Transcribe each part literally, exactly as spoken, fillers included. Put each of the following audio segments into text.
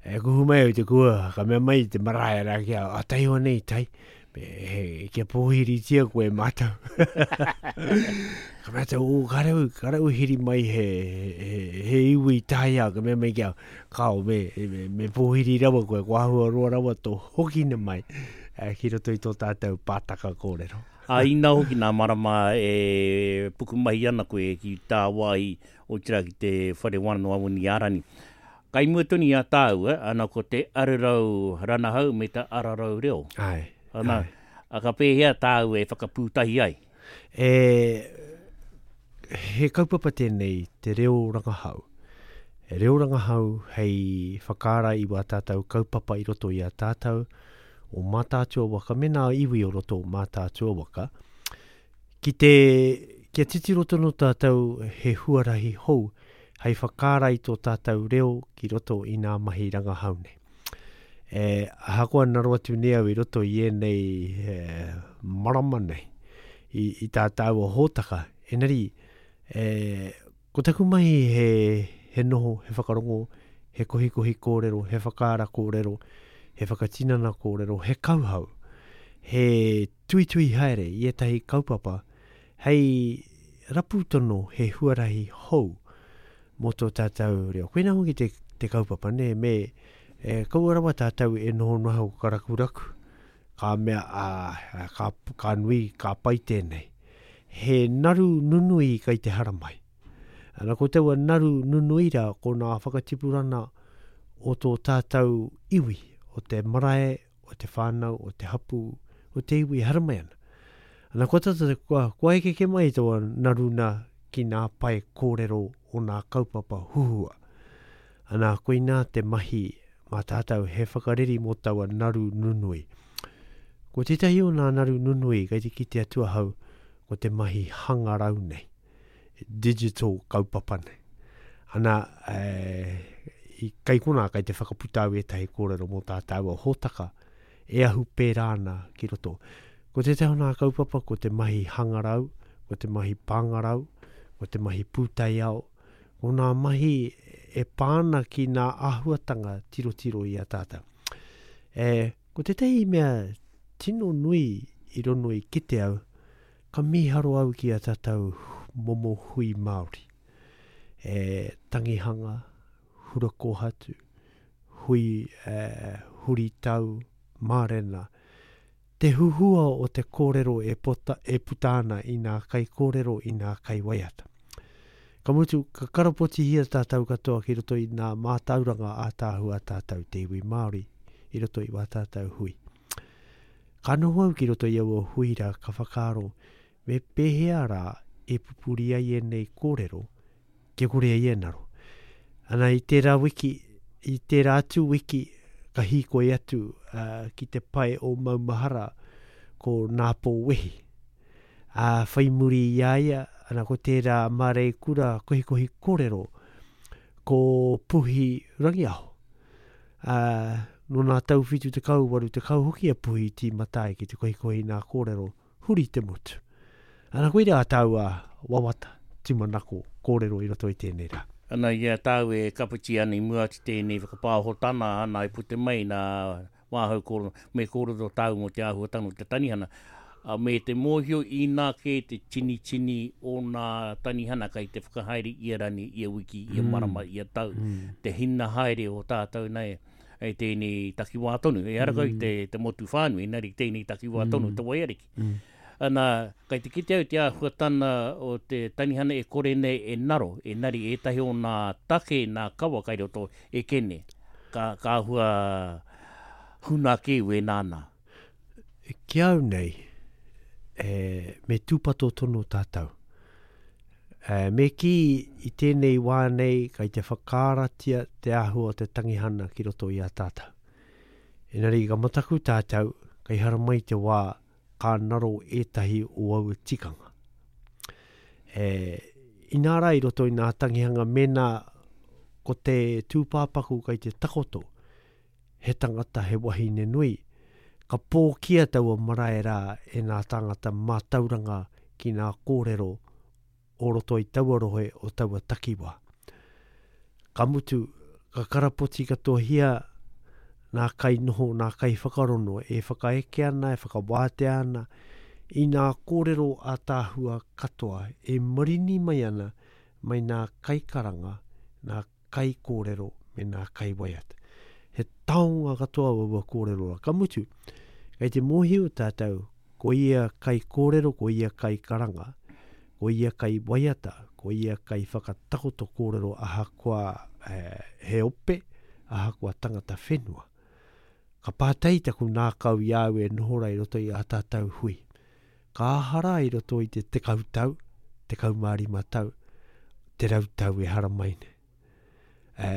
E kuhu mai au te kua, ka mea mai te marae rā ki au, a taihoa nei tai, me, he, kia pōhiritia koe mātou. Ka mea tau, o, ka rau, ka rau hiri mai he, he, he iwi taia, ka mea mai ki au, kao, me, me, me pōhiri rawa koe, ko ahua roa rawa tō hokina mai, eh, ki roto i tō tātou pātaka kōrero. A ina hoki nā marama e pukumahi ana koe ki tāwāhi o tira ki te whare wānanga o Awanuiārani. Kai mua tonu i a tāua, ana ko te ararau ranahau me te ararau reo. Ai, Ana, ai. a ka pēhea tāua e whakapūtahi ai? E, he kaupapa tēnei, te reo rangahau. He reo rangahau hei whakaara i wā tātou kaupapa i roto i a tātou o Mātaatua waka, me nā iwi o roto o Mātaatua waka, ki te, kia titiro tonu tātou he huarahi hou hei whakaara i tō tātou reo ki roto i nā mahi rangahau nei. E, ahakoa naro atu nei au i roto i ēnei e, marama nei, i, i tā tāua hōtaka, enari, e, ko taku mahi he, he noho, he whakarongo, he kohikohi kōrero, he whakaara kōrero, he whakatinana kōrero, he kauhau, he tuitui haere i ētahi kaupapa, hei rapu tono he huarahi hou mō tō tātou reo. Koina hoki te, te kaupapa, ne, me e, kaua rawa tātou e noho noho karakuraku, ka mea, a, a, ka, ka nui, ka pai tēnei. He naru nunui kai te haramai. Ana ko taua naru nunui rā, ko nā whakatipurana o tō tātou iwi, o te marae, o te whānau, o te hapu, o te iwi haramai ana. Ana ko tata, kua, kua ekeke mai taua naruna ki nā pae kōrero o nā kaupapa huhua. Ana koina te mahi mā tātou he whakareri mō taua naru nunui. Ko tētahi o nā naru nunui kei te kite atu ahau ko te mahi hangarau nei, digital kaupapa nei. Ana, e, i kai kona kai te whakaputa au ētahi kōrero mō tā tāua hōtaka e ahu pērā ana ki roto. Ko tētahi o nā kaupapa ko te mahi hangarau, ko te mahi pāngarau, ko te mahi pūtaiao, ko nā mahi e pāna ki nā āhuatanga tirotiro i a tātou. E, ko tētahi mea tino nui i rono i kite au, ka mīharo au ki a tātou momo hui Māori. E, tangihanga, hura kōhatu, hui, e, huritau, mārena. Te huhua o te kōrero e, pota, e puta ana i nā kai kōrero, i nā kai waiata. Ka mutu, ka karapotihia tātou katoa ki roto i nā mātauranga ātaahua tātou te iwi Māori i roto i wā tātou hui. Ka noho au ki roto i aua hui rā, ka whakaaro, me pēhea rā e pupuri ai ēnei kōrero, kia kore ai e naro. Ana i tērā wiki, i tērā atu wiki, ka hīkoi atu, uh, ki te pae o Maumahara ko Nāpō Wehi. Ā, whai muri i a ia, ana ko tērā māreikura kohikohi kōrero ko Puhi Rangiaho. Ā, nō nā tau whitu tekau, waru tekau hoki a Puhi tīmata ai ki te kohikohi nā kōrero huri te motu. Ana koira a tāua wawata, tūmanako, kōrero i roto i tēnei rā. Ana i a tāu e kapiti ana i mua atu tēnei whakapāhotana ana i pute mai nā wāhau kōrero, me kōrero tāu mō te āhuatanga o te tanihana. A me te mōhio i nā kē te tini tini o nā tanihana kai te whakahaere ia rani, ia wiki, ia Mm. marama, ia tau. Mm. Te hina haere o tātou nei, e tēnei takiwā tonu. E ara kau Mm. te, te motu whānui, engari tēnei takiwā tonu, Mm. te waiariki. Mm. Ana, kai te kite au te āhuatana o te tanihana e kore nei e naro, e nari ētahi o nā take, nā kawa kai roto e kene. Ka, ka āhua huna kē we nāna. Ki au nei, e, me tūpato tonu tātou. E, me ki i tēnei wā nei kai te whakaaratia te āhua o te tangihana ki roto i a tātou. Engari ka mataku tātou, kai haramai te wā ka naro ētahi o aua tikanga. E, inā rā i roto i nā tangihanga mēnā ko te tūpāpaku kai te takoto, he tangata he wahine nui, ka pōkia taua marae rā e nā tāngata mātauranga ki nā kōrero o roto i taua rohe o taua takiwā. Ka mutu, ka karapoti katohia nā kainoho, nā kaiwhakarono e whakaeke ana, e whakawātea ana i nā kōrero ātaahua katoa e marini mai ana mai nā kaikaranga, nā kaikōrero me nā kaiwaiata. He taonga katoa aua kōrero rā. Ka mutu, kei te mōhio tātou, ko ia kaikōrero, ko ia kaikaranga, ko ia kaiwaiata, ko ia kaiwhakatakoto kōrero ahakoa eh, he ope, ahakoa tangata whenua. Ka pātai taku nākau i au e noho rā i roto i a tātou hui. Ka aha rā i roto i te tekau tau, tekau mā rima tau, te rau tau e haramai nei. E,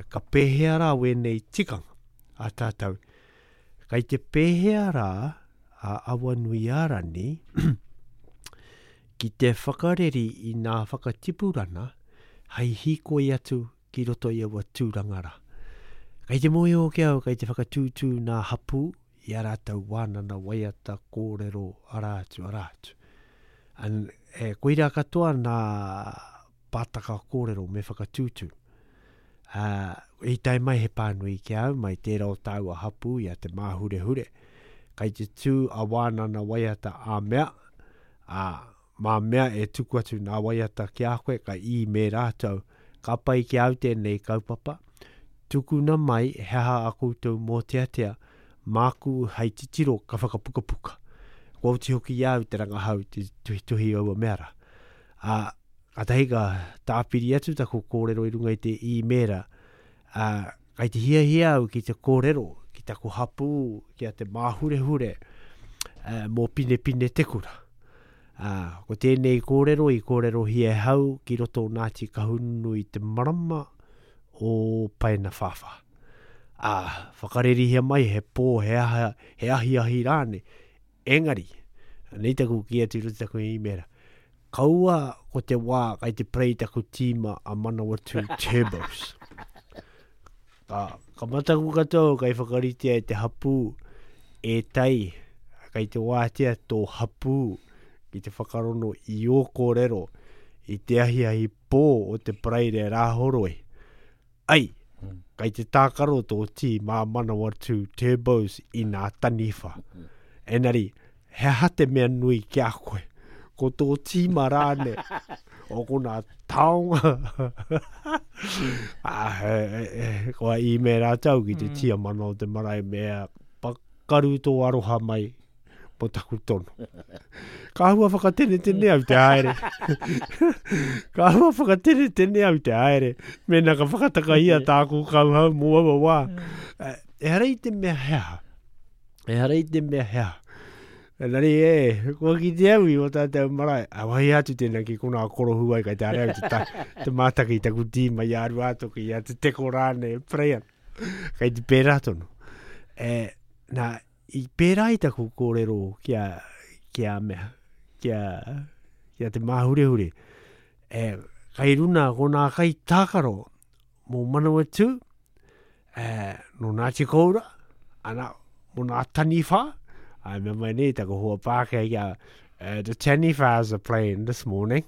ka pēhea rā wēnei tikanga a tātou. Kai te pēhea rā a Awanuiārani ki te whakareri i nā whakatipurana hei hīkoi atu ki roto i aua tūranga rā. Kei te mōhio hoki au, kei te whakatūtū nā hapū i a rātou wānana, waiata, kōrero, arā atu, arā atu. An, e, koirā katoa nā pātaka kōrero me whakatūtū. Uh, i tae mai he pānui ki au, mai tērā o tāua hapū i a Te Māhurehure. Kei te tū a wānana waiata a mea, a mā mea e tuku atu nā waiata ki a koe, ka i me rātou, ka pai ki au tēnei kaupapa, tukuna mai he aha a koutou mōteatea, māku hei titiro ka whakapukapuka. Kua oti hoki i au te rangahau te tuhituhi aua mea rā. A, kātahi ka tāpiri atu taku kōrero i runga i te īmēra, a, kai te hiahia au ki te kōrero, ki taku hapū, ki a Te Māhurehure, a, mō Pinepine Te Kura. A, ko tēnei kōrero i kōrerohia e hau ki roto o Ngāti Kahungunu i te marama o Paenawhāwhā. A, whakarerihia mai he pō, he, aha, he ahiahi rāne. Engari, nei taku ki atu i roto taku īmēra, kaua ko te wā kai te prei taku tīma a Manawatu Turbos. Ka, ka mataku katoa kai whakaritea e te hapū e tai, kai te wātea tō hapū ki te whakarono i ō kōrero i te ahiahi pō o te Paraire Rāhoroi. Ai, kai te tākaro tō tīma a Manawatu Turbos i nā taniwha. Engari, he aha te mea nui ki a koe? Ko tō tīma rāne, o ko nā taonga. Ah, e, e, e, kua īmēra tau ki te mm. tiamana o te marae mea pakaru tō aroha mai po taku tono. Ka hua whakatenetene au te haere. Ka hua whakatenetene au te haere. Mēnā ka whakatakahia tāku kauhau mō aua wā. Ehara i te mea he aha. Ehara i te mea he aha. Engari e, kua kite au i o tātou marae. A wahi atu tēnā ki kona korohu ai kai te are au te, ta, te mātaki i taku tīma i a Ruātoki, i a Te Teko rāne, e prei ana. Kai te pērā tonu. E, nā, i pērā i taku kōrero ki a, ki a mea, ki a, ki a Te Māhurehure. E, kai runa ko nā kai tākaro mō Manawatū, e, no Ngāti Koura, ana, mō nā taniwha, ai mea mai nei taku hoa Pākehā ki a, uh, the taniwhas are playing this morning.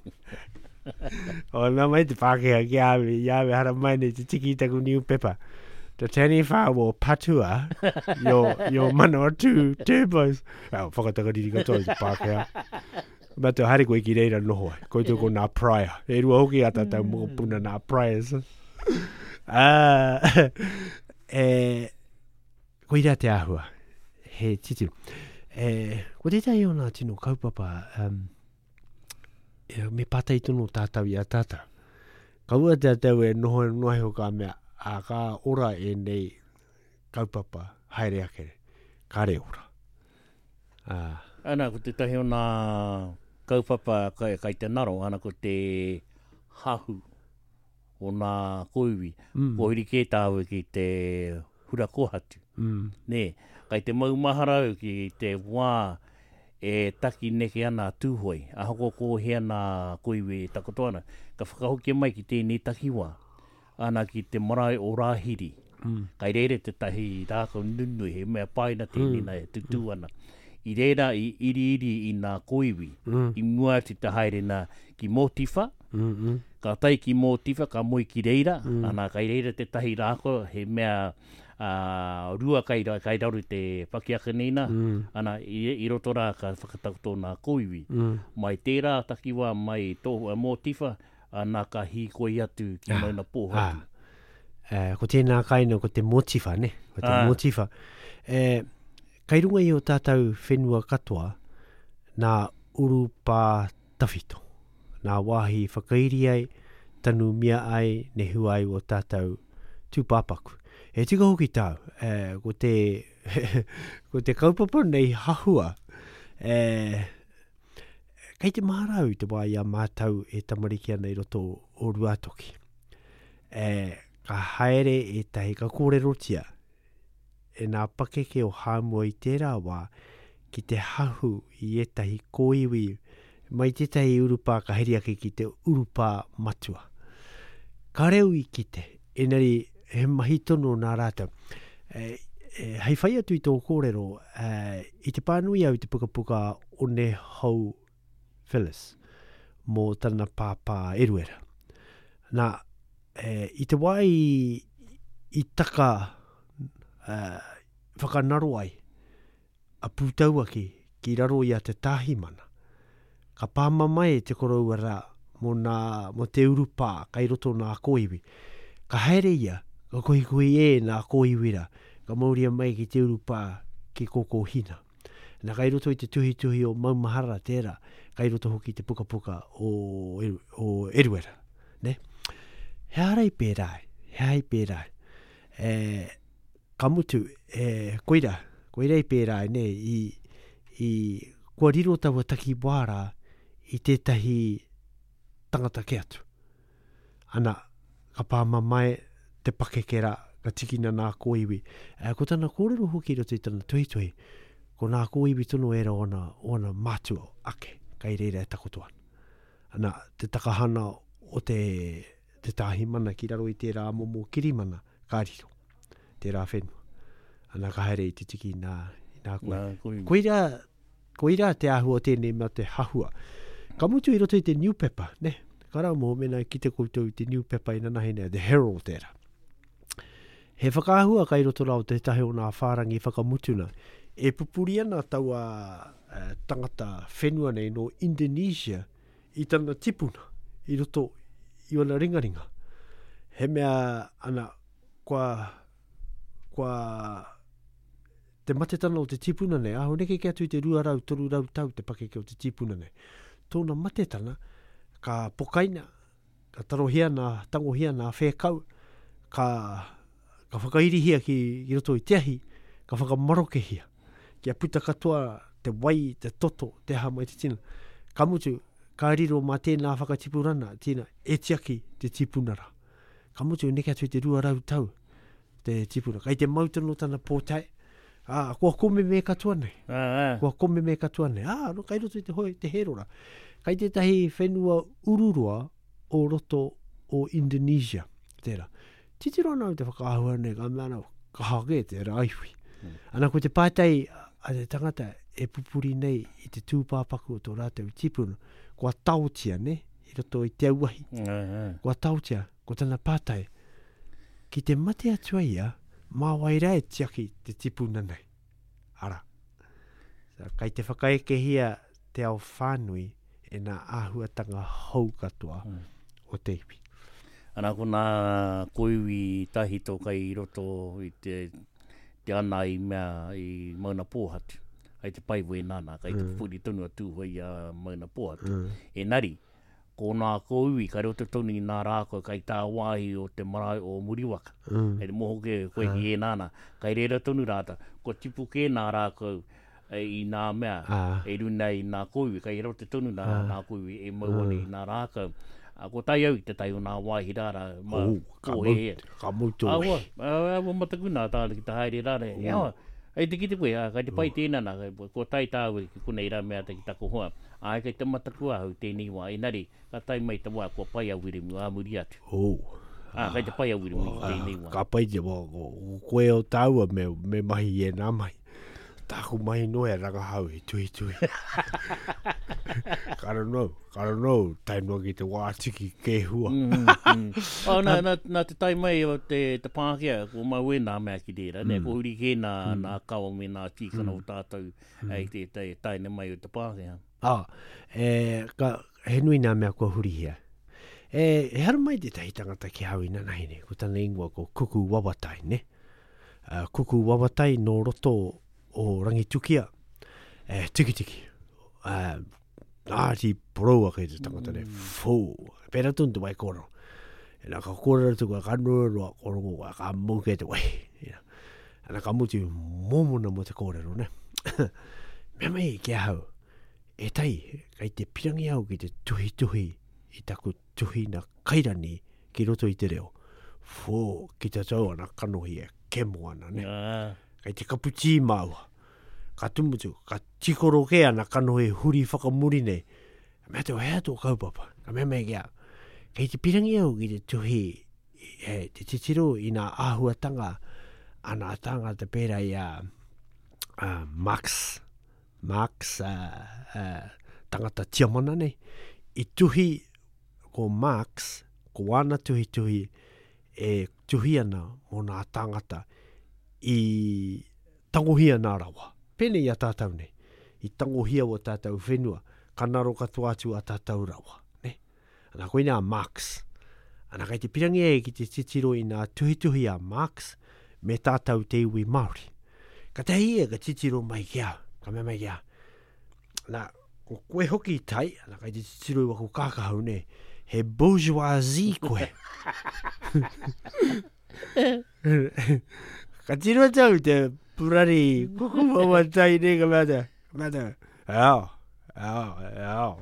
O mea mai te Pākehā ki a au, i au e hara mai nei te tiki i taku newspaper. The taniwha will patua your, your Manawatū Turbos. Well, whakatakariri katoa i te Pākehā. Mea te haere koe ki reira noho ai. Koutou ko nā Pryor. E rua hoki a tātou mokopuna nā Pryors. Ah, e, koira te āhua. He titiro. E, ko tētahi o nā tino kaupapa, um, e, me pātai tonu tātou i a tātou. Kaua tātou e noho noa iho ka mea, a ka ora ēnei kaupapa haere ake, kāre ora. Ah. Ana, ko tētahi o nā kaupapa kai, kai te naro, ana ko te hahu o nā koiwi. Mm. Kua huri kē tāua ki te hura kōhatu. Mm. Nē, kai te maumahara au ki te wā e taki neke ana a Tūhoe, ahakoa ko hea nā koiwi e takoto ana, ka whakahokia mai ki tēnei takiwā, ana ki te marae o Rāhiri. Mm. Kai reira tētahi rākau nunui, he mea paina tēnei Mm. nā e tutū ana. I reira i iriiri i nā koiwi, Mm. i mua atu te haere nā ki Mōtiwha, Mm -mm. ka tae ki Mōtiwha, ka moe ki reira, Mm. ana kai reira tētahi rākau, he mea Uh, rua kai, kai raru te pakiaka nei nā, mm. ana, i, i roto rā ka whakatakoto nā kōiwi. Mm. Mai tērā takiwā, mai tō, mōtiwha, ana ka hīkoi atu ki ah, Mauna Pōhatu. Ah. Eh, ko tēnā kaina, ko te mōtiwha, ne? Ko te ah. mōtiwha. Eh, kai runga i o tātou whenua katoa, nā urupā tawhito. Nā wāhi whakairi ai, tanumia ai, nehu ai o tātou tūpāpaku. E tika hoki tāu, e, ko te, ko te kaupapa nei hahua, e, kei te maharau te wā i a mātau e tamariki ana i roto o Ruatoki. E, ka haere e tahi, ka kōrerotia e nā pakeke o Hāmua i tērā wā ki te hahu i ētahi kōiwi mai tētahi urupā ka heri ake ki te urupā matua. Ka reo i kite, enari he mahi tonu nā rātou. E, e, hei whai atu i tō kōrero, e, i te pānui au i te pukapuka One Hou Phyllis mō tana pāpā Eruera. Nā, e, i te wā i, i taka e, whakanaro ai a Pūtauaki ki raro i a Te Tāhimana, ka pāmamae te koroua rā mō, nā, mō te urupā kai roto nā kōiwi. Ka haere ia, ka kohikohi e nā kōiwi rā, ka mauria mai ki te urupā ki Kōkōhina. Nā kai roto i te tuhituhi o Maumahara tērā, kai roto hoki te pukapuka o, o Eruera. Ne? He ara i pērā, he ai pērā. E, ka mutu, e, koira, koira i pērā, ne, i, i, kua riro taua takiwā rā i tētahi tangata ke atu. Ana, ka pāmamae te pakeke rā, ka tikina nā kōiwi. E, ko tana kōrero hoki roto i tana tuhituhi, ko nā kōiwi tono era ona, ona mātua ake, kai reira e takoto ana. Ana, te takahana o te, te tāhimana ki raro i tērā momo kirimana, ka riro, tērā whenua. Ana, ka haere i te tiki nā, nā koe. Nā koiwi. Koira, koira te āhua o tēnei mea te hahua. Ka mutu i roto i te newspaper, ne? Ka rā mō mena ki te koutou i te newspaper i nanahi nei, The Herald tērā. He whakaahua kai roto rā o tētahi o nā whārangi whakamutuna. E pupuri ana taua uh, tangata whenua nei no Indonesia i tana tipuna i roto i ona ringaringa. He mea ana kua, kua te matetana o te tipuna nei, aho neke ke atu i te rua rau, toru rau tau te pakeke o te tipuna nei. Tōna matetana, ka pokaina, ka tarohia nā, tangohia nā whēkau, ka, ka whakairihia ki, ki roto i te ahi, ka whakamarokehia, kia puta katoa te wai, te toto, te aha mai te tina. Ka mutu, ka riro mā tēnā whakatipurana, tina, e tiaki te tipuna rā. Ka mutu, neke atu i te rua rau tau te tipuna. Kai te mau tonu tana pōtae, ah, kua komeme katoa nei. Ah, ah. Kua komeme katoa nei. Ah, no, kai roto i te hoi, te herora. Kai tētahi whenua ururoa o roto o Indonesia. Tērā. Titiro ana au te whakaahua nei, ka mea ana, kaha ke tērā iwi. Mm. Ana ko te pātai a te tangata e pupuri nei i te tūpāpaku o tō rātou tipuna, kua taotia, ne, i roto i te auahi. Mm, mm. Kua taotia, ko tana pātai, ki te mate atu ai ia, mā wai rā e tiaki te tipuna nei. Ara. So, kai te whakaekehia te ao whānui e nā āhuatanga hou katoa mm. o te iwi. Ana ko nā koiwi tahito kai i roto i te, te ana i mea i Mauna Pōhatu. Ai te pai wē nāna, kai te Mm. pupuri tonu a Tūhoe i a Mauna Pōhatu. Mm. Enari, ko nā kōiwi kai roto tonu i nā rākau kai tā wāhi o te marae o Muriwaka. Mm. Hei te moho ke koe ki e nāna, kai reira tonu rāta, kua tipu ke nā rākau e, i nā mea, Ah. e runa i nā kōiwi, kai roto tonu nā, Ah. nā kōiwi e mau ana i nā rākau. A, ko tai au i te tai o nā wāhi rāra, ma, Oh, ka ko mau, he he. ka mau tō. Awa, awa mataku nā tāna ki te haere rāra. Oh. Awa, ai te kite koe, a, kai te pai tēnā nā, ko tai tāu ki konei rā mea te ki taku hoa. Ai, kai te mataku ahau tēnei wā, enari, ka tai mai te wā, kua pai a Wiremu, ā muri atu. Oh. Ah, kai te pai a Wiremu i tēnei wā. Ka pai te wā, ko, ko koe o tāua me, me mahi e nā mahi. Tāku mai no e rangahau e tui tui. Kara no, kara no, tae noa ki te wā tiki ke hua. Mm, mm. Oh, nā, nā, nā te tai mai o te, te Pākehā, ko mau e nā mea ki reira, mm. ne, ko huri kē nā, mm. nā kawa me nā tīkana mm. o tātou mm. ei te, te taine mai o te Pākehā. Ah, e, ka, he nui nā mea kua hurihia. E, e haru mai tētahi tangata ki hau inanahi nei, ko tana ingoa ko Kuku Wawatai, ne? Uh, Kuku Wawatai nō roto o Rangitukia, e, tikitiki. Uh, Ngāti Porou ake te tangata nei, mm. fō. Pērā tonu te wai kōrero. E nā, ka kōrero atu koe, ka noa roa, kōrongo koe, ka mau ke te wai. Ana ka mutu mōmona mō te kōrero, ne? Mea mai ki ahau, e tai, kei te pirangi au ki te tuhituhi i taku tuhina kairani ki roto i te reo. Fō, ki te tau ana kanohi e kemo ana, ne? Ah. Kei te kapu tī māua. Ka tumutu, ka tikoro ke ana kanohi huri whakamuri nei. Ka mea tau, hea tō kaupapa? Ka mea mai ki au, kei te pirangi au ki te tuhi, e, te titiro i nā āhuatanga a nā tāngata pērā i a, a Marx, Marx, a, a, tangata tiamana nei, i tuhi ko Marx, ko āna tuhituhi e tuhi ana mō nā tāngata i tangohia nā rawa. Pēnei i a tātou nei, i tangohia o tātou whenua, ka naro katoa atu a tātou rawa. Ne? Ana koina a Marx. Ana kei te pirangi e ki te titiro i nā tuhituhi a Marx me tātou te iwi Māori. Ka tahi e ka titiro mai ki au, ka mea mai ki au. Nā, ko koe hoki i tai, ana kei te titiro i waku kākahau nei, he bourgeoisie koe. Ka tiro tau te purari kuku wawatai nei ka mea te, ka mea te, eao, eao, eao,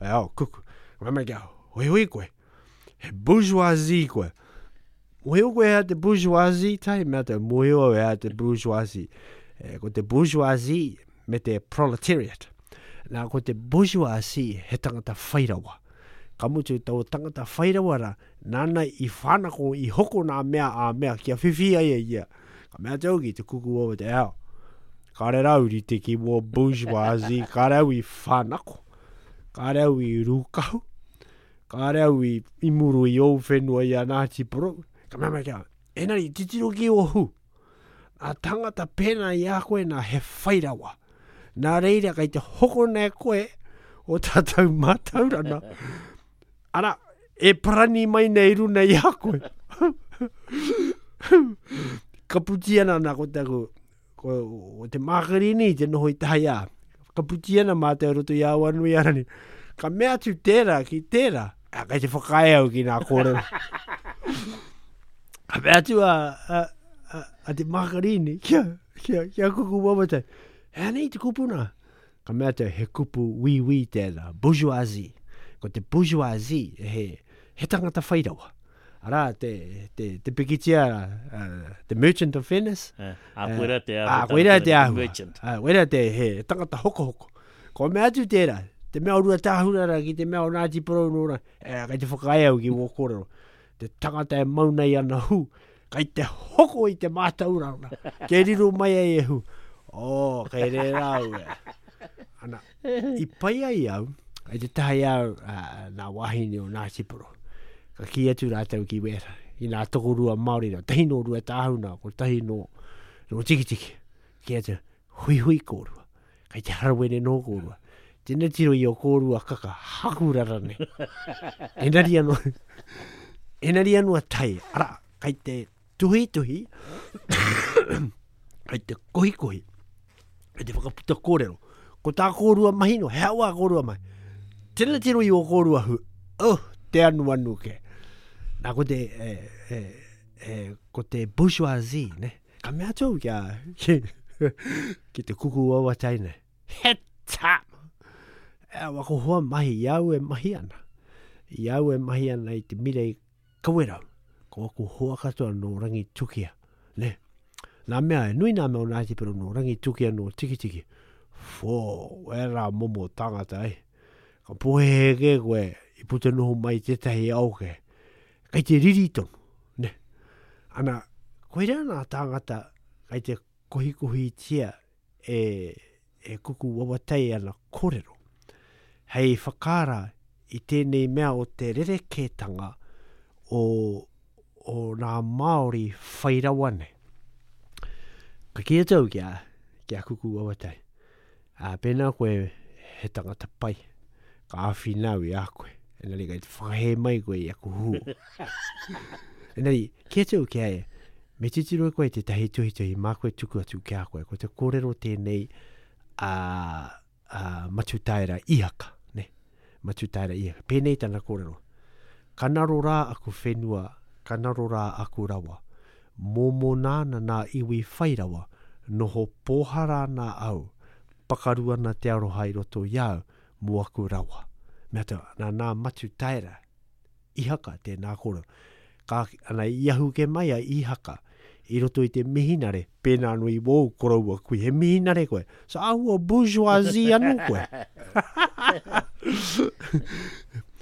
eao, kuku. Ka mea mai ki au, hui hui koe, he bourgeoisie koe. Mohio koe hea te bourgeoisie tai, mea te mohio au hea te bourgeoisie. E, ko te bourgeoisie me te proletariat. Nā, ko te bourgeoisie he tangata whairawa. Ka mutu tau tangata whairawa rā, nāna i whanako, i hoko nā mea a mea kia whiwhi ai e ia. Ka mea te au ki te kuku o te ao. Kāre rau rite ki mō bourgeoisie, kāre au i whanako, kāre au i rūkahu, kāre au i, i muru i ōu whenua i a Ngāti Porou. Ka mea mai kia, enari, titiro ki o hu. Nā tangata pēnā i a koe nā he whairawa. Nā reira kei te hoko nei koe o tātou mātauranga. Ara, e parani mai nei runa i a koe. Ka puti ana nā ko taku, ko, ko te mākarini te noho i tahi a. Ka puti ana mātou roto i Awanui arani. Ka mea atu tērā ki tērā. A, kei te whakaae au ki nā kōrero. Ka mea atu a, a, a, a te mākarini kia, kia, kia kuku wawatai. He anei te kupu nā? Ka mea atu, he kupu wīwī tērā, bourgeoisie. Ko te bourgeoisie, he, he tangata whairawa. Arā, te, te, te pikitia, uh, the Merchant of Venice. A, a koera te āhua. A, koera te āhua. Merchant. A, koera te he tangata hokohoko. Ko mea atu tērā, te mea o Ruatāhuna rā ki te mea o Ngāti Porou nō rā, e, kei te whakaae au ki wō kōrero. Te tangata e mau nei ana hu, kei te hoko i te mātauranga, kei riro mai ai e hu. Oh, kei rērā au e. Ana, i pai ai au, kei te tahi au uh, nā wāhine o Ngāti Porou. Ka kī atu rātou ki wēra, i nā tokorua Māori rā, tahi nō Ruatāhuna, ko tahi nō, nō Tikitiki. Kī atu, hui hui kōrua, kei te harawene nō kōrua. Tēnā tiro i o kōrua kaka, hakurara nei. Enari anō, enari anō a tai, ara, kei te tuhituhi, kei te kohikohi, kei te whakaputa kōrero. Ko tā kōrua mahi no, he awa kōrua mahi. Tēnā tiro i o kōrua hu, oh, te anu anu ke. Nā, ko te, e, e, e, ko te bourgeoisie, ne? Ka mea atu au kia, ki, ki te kuku wawatai nei. He tā! E, wako hoa mahi, i au e mahi ana. I au e mahi ana i te mira i Kawerau. Ko aku hoa katoa nō Rangitukia, ne? Nā mea, e nui nā mea o Ngāti Porou nō Rangitukia nō Tikitiki. Fō, wera momo tangata e. Ka pohehe ke koe, i puta noho mai tētahi ao ke. Kei te riri tonu, ne? Ana, koira nā tāngata kei te kohikohitia e, e Kuku Wawatai ana kōrero. Hei whakaara i tēnei mea o te rerekētanga o, o nā Māori whai rawa nei. Ka kī atu au ki a, ki a Kuku Wawatai. Ā, pēnā koe he tangata pai, ka āwhina au i a koe. Engari kei te whakahē mai koe i aku hū. Engari, kī atu au ki a ia, me titiro e koe tētahi tuhituhi mā koe tuku atu ki a koe. Ko te kōrero tēnei a, a Matutaera Ihaka, ne? Matutaera Ihaka. Pēnei tana kōrero. Ka naro rā aku whenua, ka naro rā aku rawa. Mōmona ana nā iwi whai rawa, noho pōhara ana au, pakaru ana te aroha i roto i au, mō aku rawa. Mea tau, nā nā Matutaera Ihaka tēnā kōrero. Ka, ana, i ahu ke mai a Ihaka i roto i te mihinare, pēnā anō i wōu koroua kui, he mihinare koe. So āhua bourgeoisie anō koe.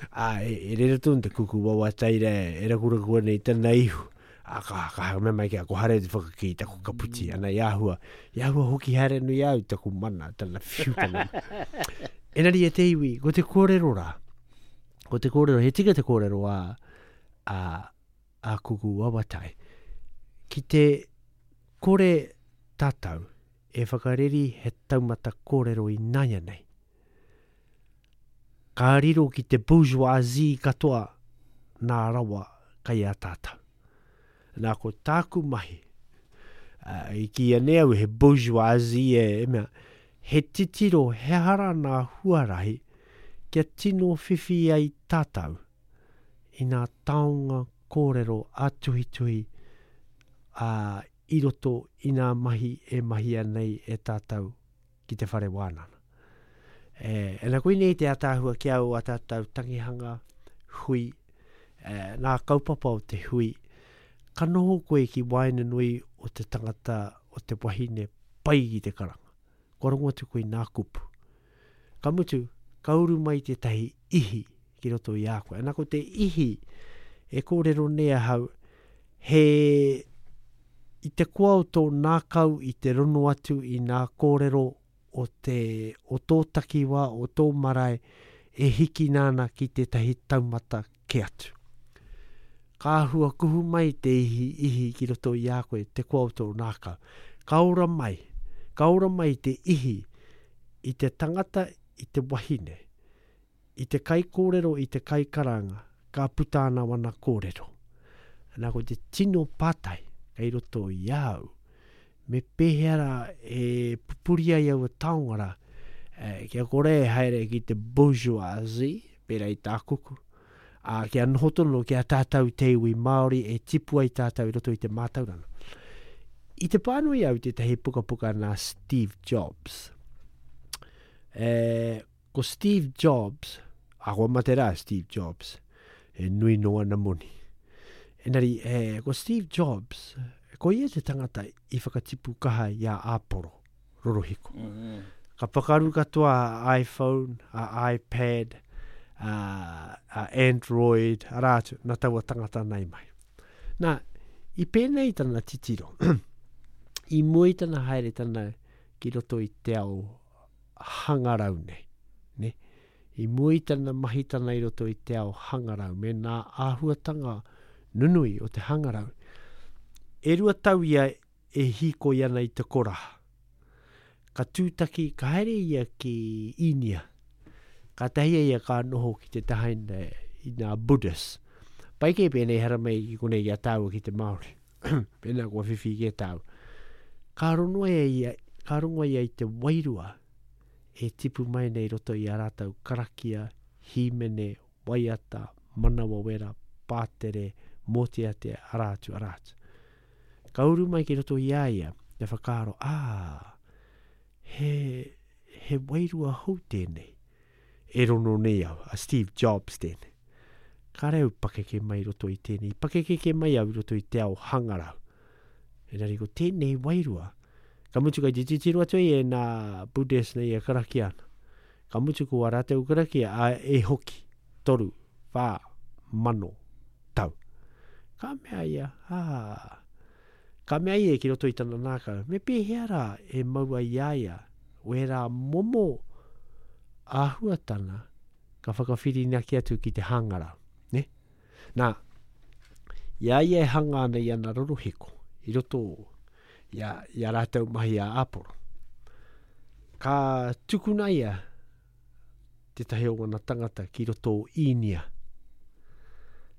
Ā, e, e rere tonu te Kuku Wawataira e rakuraku ana i tana ihu. Ā, ka, ka mea mai ki a ko haere te whakakī taku kaputi. Ana i āhua, i āhua hoki haere nui au taku mana, tana whiu tana. Engari e te iwi, ko te kōrero rā, ko te kōrero, he tika te kōrero a, a, a Kuku Wawatai, ki te kore tātou e whakareri he taumata kōrero i nāianei, ka riro ki te bourgeoisie katoa nā rawa kai a tātou. Nā ko tāku mahi, uh, i kīia nei au he bourgeoisie e, e mea, he titiro he hara nā huarahi kia tino whiwhi ai tātou i nā taonga kōrero a tuhituhi a, i roto i nā mahi e mahia nei e tātou ki te whare wānanga. E, e nā koinei te ataahua ki au a tātou tangihanga hui, e, nā kaupapa o te hui, ka noho koe ki waenganui o te tangata o te wahine pai ki te karanga. Kua rongo atu koe nā kupu. Ka mutu, ka uru mai tētahi ihi ki roto i a koe. Ana ko te ihi e kōrero nei ahau, he i te koa o tō nākau i te rono atu i nā kōrero o te o tō takiwā, o tō marae, e hikina ana ki tētahi taumata ke atu. Ka āhua kuhu mai te ihi, ihi ki roto i a koe, te koa o tō nākau. Ka ora mai, ka ora mai te ihi i te tangata, i te wahine, i te kaikōrero, i te kaikaranga, ka puta ana wana kōrero. Nā ko te tino pātai kei roto i au, me pēhea rā e pupuri ai aua taonga rā, e, kia kore e haere ki te bourgeoisie, pērā i tā kuku, ā, kia noho tonu ki a tātou te iwi Māori e tipu ai tātou i roto i te mātauranga. I te pānui au tētahi pukapuka nā Steve Jobs. E, ko Steve Jobs, a kua mate rā Steve Jobs, e nui no ana moni. Engari, e, ko Steve Jobs, ko ia te tangata i whakatipu kaha i a Aporo, rorohiko. Mm-hmm. Ka pakaru katoa a iPhone, a iPad, a, a Android, arā atu, nā taua tangata nei mai. Nā, i pēnei tana titiro, i mua i tana haere tana ki roto i te ao hangarau nei, ne? I mua i tana mahi tana i roto i te ao hangarau, me nā āhuatanga nunui o te hangarau. E rua tau ia e hīkoi ana i te koraha. Ka tūtaki, ka haere ia ki Īnia. Ka tahi ia ka noho ki te taha i nā Buddhist. Pai kē pēnei haramai ki konei ki a tāua ki te Māori. Pēnā kua whiwhi ki a tāua. Ka rongo ia, ia, ka rongo ia i te wairua e tipu mai nei roto i a rātou karakia, hīmene, waiata, manawa wera, pātere, mōteatea, arā atu, arā atu. Ka uru mai ki roto i a ia, te whakaaro, ā, he, he wairua hou tēnei. E rono nei au, a Steve Jobs tēnei. Ka reo pakeke mai roto i tēnei. Pakeke ke mai au i roto i te ao hangarau. Engari ko tēnei wairua, ka mutu kai te titiro atu ai e nā Buddhist nei e karakia ana. Ka mutu ko a rātou karakia, a e hoki, toru, whā, mano, tau. Ka mea ia, ā, Ka mea ia ki roto i tana nākau, me pēhea rā e maua i a ia, wērā momo āhuatana ka whakawhirinaki atu ki te hangarau. Ne? Nā, i a ia e hanga ana i ana rorohiko, i roto i a, i a rātou mahi a Aporo. Ka tukuna ia tētahi o wana tangata ki roto o Īnia.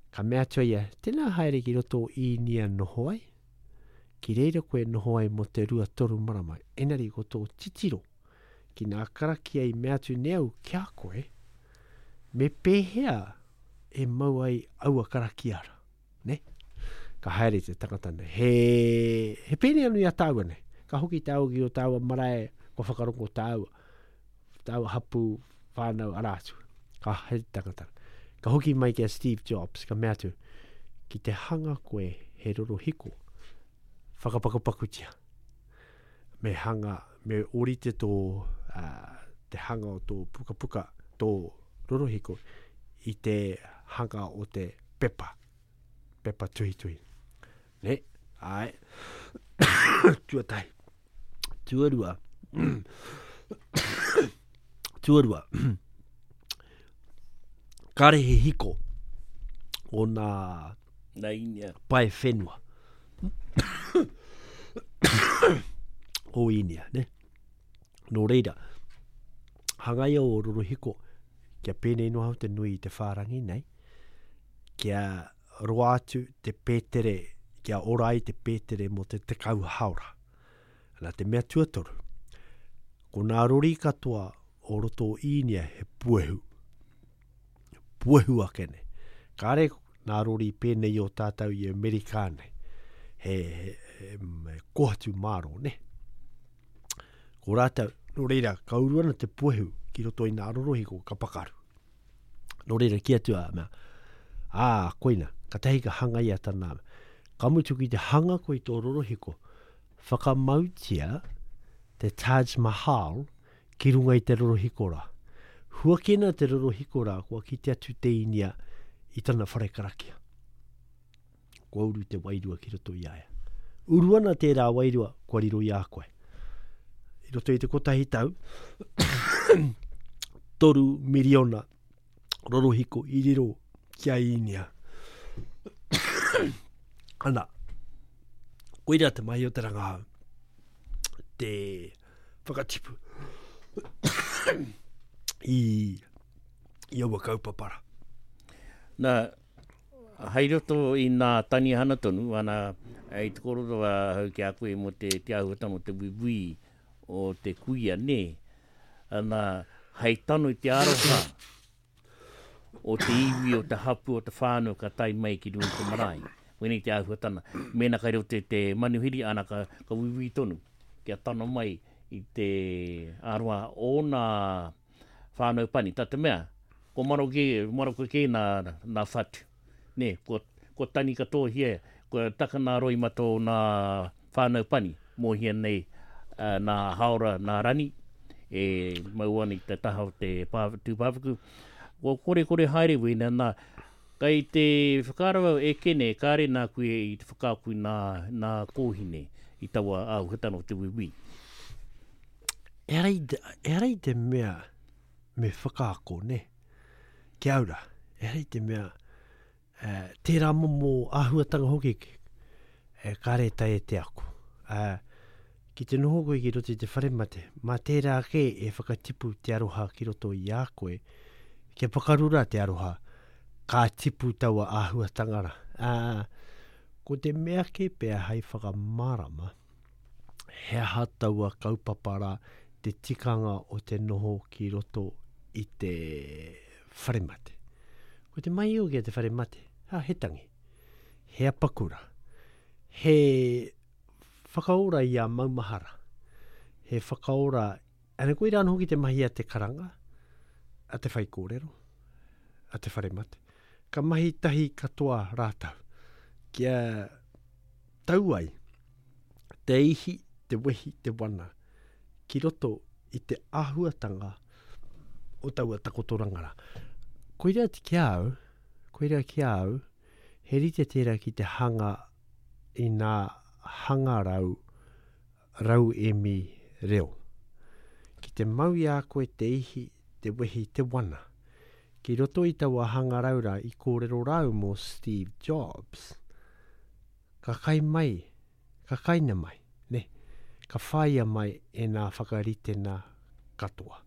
Ka mea atu ia, tēnā haere ki roto o Īnia noho ai, ki reira koe noho ai mō te rua toru marama. Enari ko tō titiro, ki nā karakia i mea atu nei au ki a koe, me pēhea e mau ai aua karakia rā, ne? Ka haere te tangata nei. He, he pēnei anu i a tāua nei. Ka hoki tāua ki o tāua marae, kua whakarongo tāua, tāua hapu, whānau, arā atu. Ka haere te tangata. Ka hoki mai ki a Steve Jobs, ka mea atu, ki te hanga koe he rorohiko, whakapakupakutia. Me hanga, me orite tō, uh, te hanga o tō pukapuka, tō rorohiko, i te hanga o te pepa. Pepa tuhituhi. Ne? Ai. Tuatahi. Tuarua. Tuarua. Kāre he hiko o nā Nā Īnia. pae whenua. O Īnia, ne? Nō reira, hangaia o rorohiko, kia pēnei noa te nui i te whārangi nei, kia roa atu te pētere, kia ora ai te pētere mō te tekau haora. Nā te mea tuatoru, ko nā rori katoa o roto o Īnia he puehu. Puehu ake nei. Kāre nā rori pēnei o tātou i Amerika nei. He, he, he, he kohatu māro, ne? Ko rātou, nō reira, ka uru ana te puehu ki roto i nā rorohiko ka pakaru. Nō reira, ki atu a mea, ā, koina, ka tahi ka hangaia tana. Ka mutu ki te hanga koe i tō rorohiko, whakamautia te Taj Mahal ki runga i te rorohiko rā. Huakina te rorohiko rā, kua kite atu te Īnia i tana whare karakia. Kua uru te wairua ki roto i a ia. Uru ana tērā wairua, kua riro i a koe. I roto i te kotahi tau, toru miriona rorohiko i riro ki a Īnia. Ana, koira te mahi o te rangahau, te whakatipu i, i aua kaupapara. Nā, hei roto i nā tanihana tonu, ana, i te kōrero a hau ki a koe mō te, te āhuatanga o te wiwi o te kuia, nē. Ana, hei tano i te aroha o te iwi, o te hapu, o te whānau ka tae mai ki runga i te marae. Wēnei te āhuatanga. Mēnā kai roto i te manuhiri, ana ka, ka wiwi tonu, kia tano mai i te aroha o nā whānau pani. Tā te mea, ko maroke, maroke kē nā, nā whatu. Nē, ko, ko tani katohia, ko taka nā roimata o nā whānau pani, mōhia nei uh, nā haora, nā rani, e mau ana i te taha o te pā, tūpāpaku. Ko kore kore haere wēnei, nā, kai te whakaaro au e kene, kāre nā koe i te whakaaku nā, nā kōhine i taua āhuatanga o te wiwi. Ehara i te, ehara i te mea me whakaako, ne? Kia ora, ehara i te mea, eh, tērā momo āhuatanga hoki, eh, kāre tae e te ako. Eh, ki te noho koe ki roto i te whare mate, mā tērā ake e whakatipu te aroha ki roto i a koe, kia pakarura te aroha, ka tipu taua āhuatanga rā. Ah, ko te mea ke pea hei whakamārama, he aha taua kaupapa rā te tikanga o te noho ki roto i te whare mate. Ko te mai o ki te whare mate, ha, he tangi, he apakura, he whakaora i a maumahara, he whakaora, ana koe rānō hoki te mahi a te karanga, a te whaikōrero, a te whare mate. Ka mahi tahi katoa rātou, kia tau ai te ihi, te wehi, te wana, ki roto i te āhuatanga o taua takotoranga rā. Koira ki a au, koira ki a au, he rite tērā ki te hanga i nā hangarau rauemi reo. Ki te mau i a koe te ihi, te wehi, te wana. Ki roto i taua hangarau rā i kōrero rau mō Steve Jobs. Ka kai mai, ka kaina mai, ne? Ka whaia mai e nā whakaritena katoa.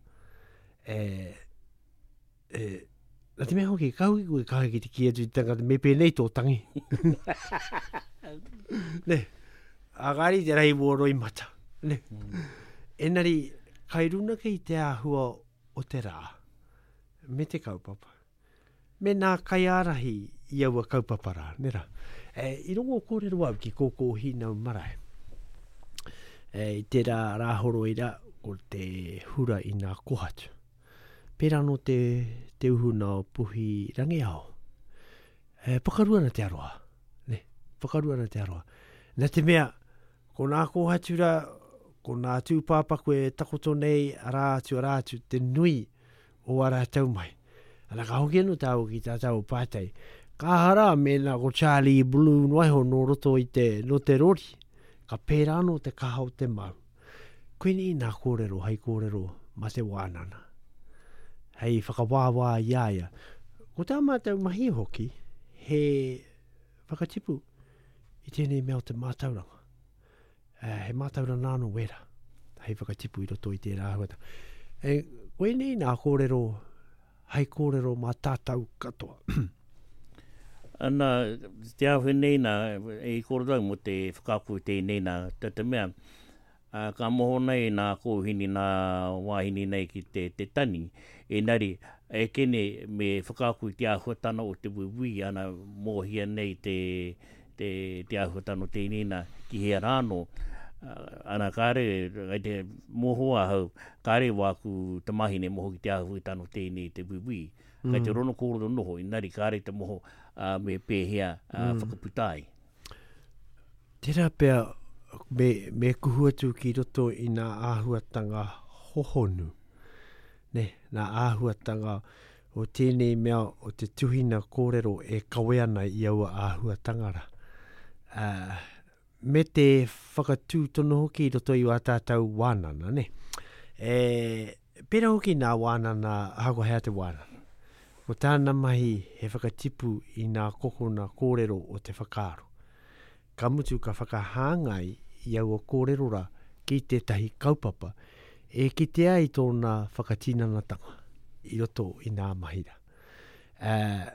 E, e, nā te mea hoki, ka hoki koe kaha ki te ki atu i te tangata, me pēnei tō tangi. Ne, agari te rahi mō roi mata. Ne. Mm. Enari, kai runa kei te āhua o te rā, me te kaupapa. Me nā kaiārahi i aua kaupapa rā, ne rā. E, i rongo kōrero au ki Kōkō Hīnau Marae. E, i te rā rāhoro i rā, ko te hura i nā kohatu. Pērā no te, te uhuna o Puhi Rangiaho. E, pakaru ana te aroha. Ne, pakaru ana te aroha. Nā te mea, ko nā kohatu rā, ko nā tūpāpaku e takoto nei, arā atu, arā atu, te nui o a rātou mai. Ana ka hoki anō tāu ki tā tāu pātai. Ka hara mēnā ko Charlie Blue noa iho nō roto i te, nō te rori. Ka pērā anō te kaha o te mau. Koinei nā kōrero, hei kōrero ma te wānana. Hei whakawāwā i a ia. Ko tā mātou mahi hoki, he whakatipu i tēnei mea o te mātauranga. Eh, he mātauranga nāno wera, hei whakatipu i roto i tērā āhuatanga. E, koinei nā kōrero, hei kōrero mā tātou katoa. Ana, te āhua nei nā, e i kōrero au mō te whakaako i tēnei nā, te te mea, a, ka moho nei nā kōhini nā wāhine nei ki te, te tani, enari, e kene me whakaako i te āhuatana o te wiwi, ana mōhia nei te, te, te āhuatana o tēnei nā, ki hea rāno, ana kāre, ai te moho ahau, kāre wāku tamahine moho ki te āhuatana o tēnei te wiwi. Mm. Kai te rono kōrero noho, inari kāre te moho uh, me pēhea uh, mm. whakaputa ai. Tērā pea me, me kuhu atu ki roto i nā āhuatanga hohonu. Ne, nā āhuatanga o tēnei mea o te tuhina kōrero e kawe ana i aua āhuatanga rā. Uh, me te whakatū tonu hoki i roto i wā tātou wānana, ne? E, pērā hoki nā wānana, ahakoa hea te wānana. Ko tāna mahi he whakatipu i nā kokona kōrero o te whakaaro. Ka mutu ka whakahāngai i aua kōrero rā ki tētahi kaupapa e kitea ai tōna whakatinanatanga i roto i nā mahi rā. Uh,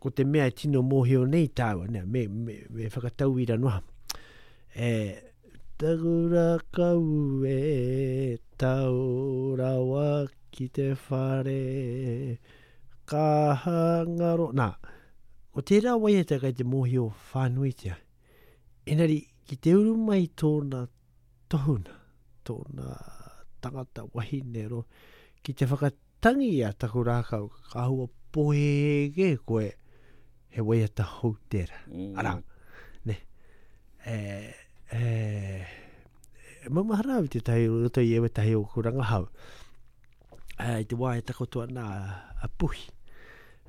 ko te mea e tino mōhio nei tāua, ne, me, me, me whakatauira noa. E, taku rākau e tau rawa ki te whare, ka hangaro. Nā, ko tērā waiata kai te mōhio whānuitia. Engari, ki te uru mai tōna tohuna, tōna tangata wahine ro, ki te whakatangi a taku rākau, ka hua pohehe koe, he waiata hou tērā. Mm. Arā, ne, e, e, e maumahara au tētahi o roto i ētahi o ku rangahau. E, i te wā e takoto ana a Puhi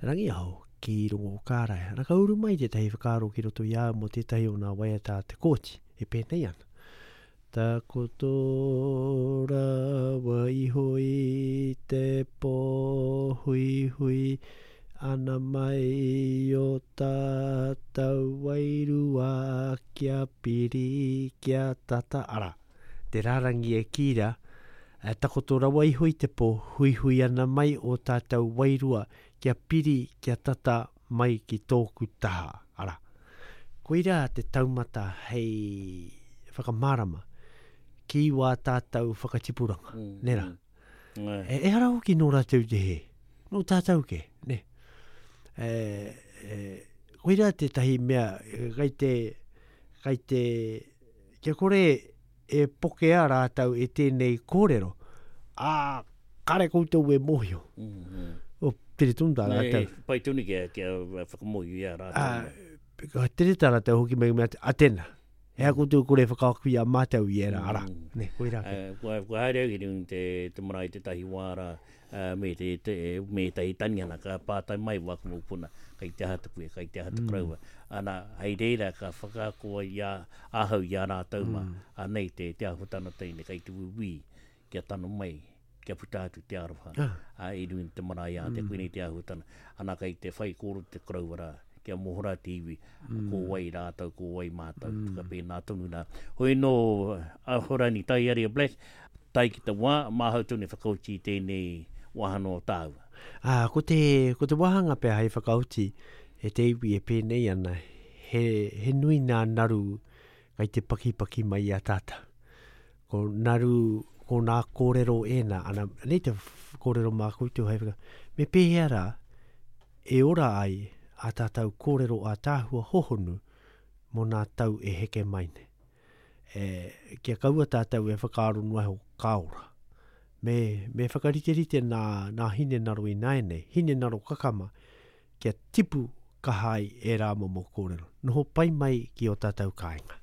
Rangiaho ki Rongo Kārae. Ana ka uru mai tētahi whakaaro ki roto i a mō tētahi o nā waiata a Te Kooti, e pēnei ana. Takoto rawa iho i te pō hui hui ana mai o tātou wairua kia piri kia tata. Ara, te rārangi e kīra, e takoto rawa iho i te pō hui hui ana mai o tātou wairua kia piri kia tata mai ki tōku taha. Ara, koirā te taumata hei whakamārama ki wā tātou whakatipuranga, mm, nē rā. Mm. E, e hara hoki nō rātou te he, nō tātou ke, ne. E, e, koirā tētahi mea, kai te, kai te, kia kore e pokea rātou e tēnei kōrero, ā, kare koutou e mōhio. Mm -hmm. O, tere tonu tā rātou. E, pai tonu kia, kia whakamōhio i a rātou. Ā, ka tere tā rātou hoki mai mea, a tēnā, He aha koutou kore whakaako i a mātou i ērā ara. Ne, koirā ke. Uh, kua, kua haere au ki runga te, te marae tētahi wā rā, uh, me te, te, me tētahi tanihana, ka pātai mai wāku mokopuna, kei te aha te koe, kei te aha te koroua. Ana, hei reira ka whakaako ai i a, ahau i a rātou mā, anei te, te āhuatanga tēnei, kei te wiwī, kia tano mai, kia puta atu te aroha. Ah. A, i runga i te marae ā, te koinei te āhuatanga. Ana, kei te whai kōrero te koroua rā, kia mohora te iwi, ko wai rātou, ko wai mātou, mm. whakapēnā tonu nā. Hoi nō, Ahorangi Taiaria Black, tai ki te wā, māhau tonu e whakauti i tēnei wāhanga o tāua. Ah, ko te, ko te wāhanga pea hei whakauti e te iwi e pēnei ana, he, he nui nā naru kai te pakipaki mai i a tātou. Ko naru, ko nā kōrero ēnā, ana, nei te kōrero mā koutou hei whaka, me pēhea rā, e ora ai a tātou kōrero a tāhua hohonu mō nā tau e heke mai nei. E, kia kaua tātou e whakaaro noa iho ka ora. Me, me whakariterite nā, nā hinengaro i nāianei, hinengaro kakama, kia tipu kaha ai e rā momo kōrero. Noho pai mai ki o tātou kāinga.